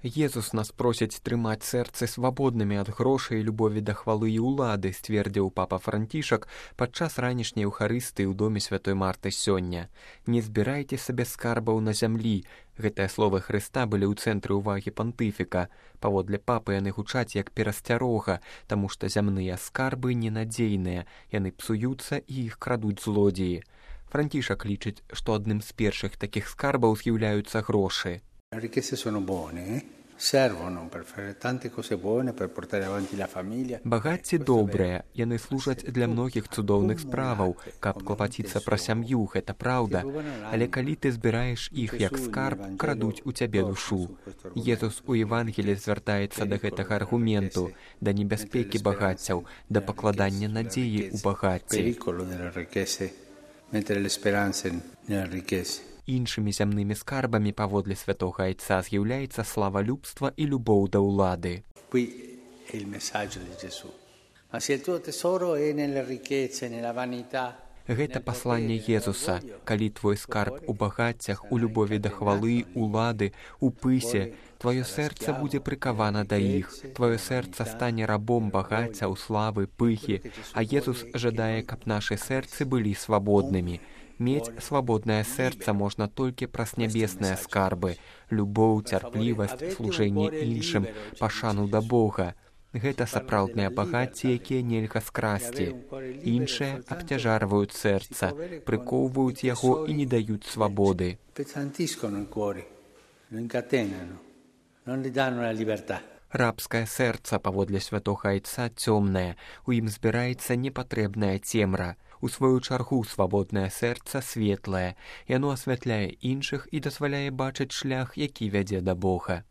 Езус нас просіць трымаць сэрцы свабоднымі ад грошай, любові да хвалы і ўлады, сцвердзіў папа Францішак падчас ранішняй эўхарыстыі ў доме святой Марты сёння. Не збірайце сабе скарбаў на зямлі. Гэтыя словы Хрыста былі ў цэнтры ўвагі пантыфіка. Паводле папы яны гучаць як перасцярога, таму што зямныя скарбы ненадзейныя, яны псуюцца і іх крадуць злодзеі. Францішак лічыць, што адным з першых такіх скарбаў з'яўляюцца грошы. Багацці добрыя, яны служаць для многіх цудоўных справаў, каб клапаціцца пра сям'ю, гэта праўда. Але калі ты збіраеш іх як скарб, крадуць у цябе душу. Езус у Евангелі звяртаецца да гэтага аргументу, да небяспекі багаццяў, да пакладання надзеі ў багацці. Іншымі зямнымі скарбамі паводле святога айца з'яўляецца славалюбства і любоў да ўлады. Гэта пасланне Езуса. Калі твой скарб у багаццях, у любові да хвалы, улады, у пысе, тваё сэрца будзе прыкавана да іх. Тваё сэрца стане рабом багаццяў, славы, пыхі, а Езус жадае, каб нашы сэрцы былі свабоднымі. Мець свабоднае сэрца можна толькі праз нябесныя скарбы, любоў, цярплівасць, служэнне іншым, пашану да Бога. Гэта сапраўдныя багацці, якія нельга скрасці. Іншыя абцяжарваюць сэрца, прыкоўваюць яго і не даюць свабоды. Рабскае сэрца, паводле святога айца, цёмнае, у ім збіраецца непатрэбная цемра. У сваю чаргу свабоднае сэрца светлае, яно асвятляе іншых і дазваляе бачыць шлях, які вядзе да Бога.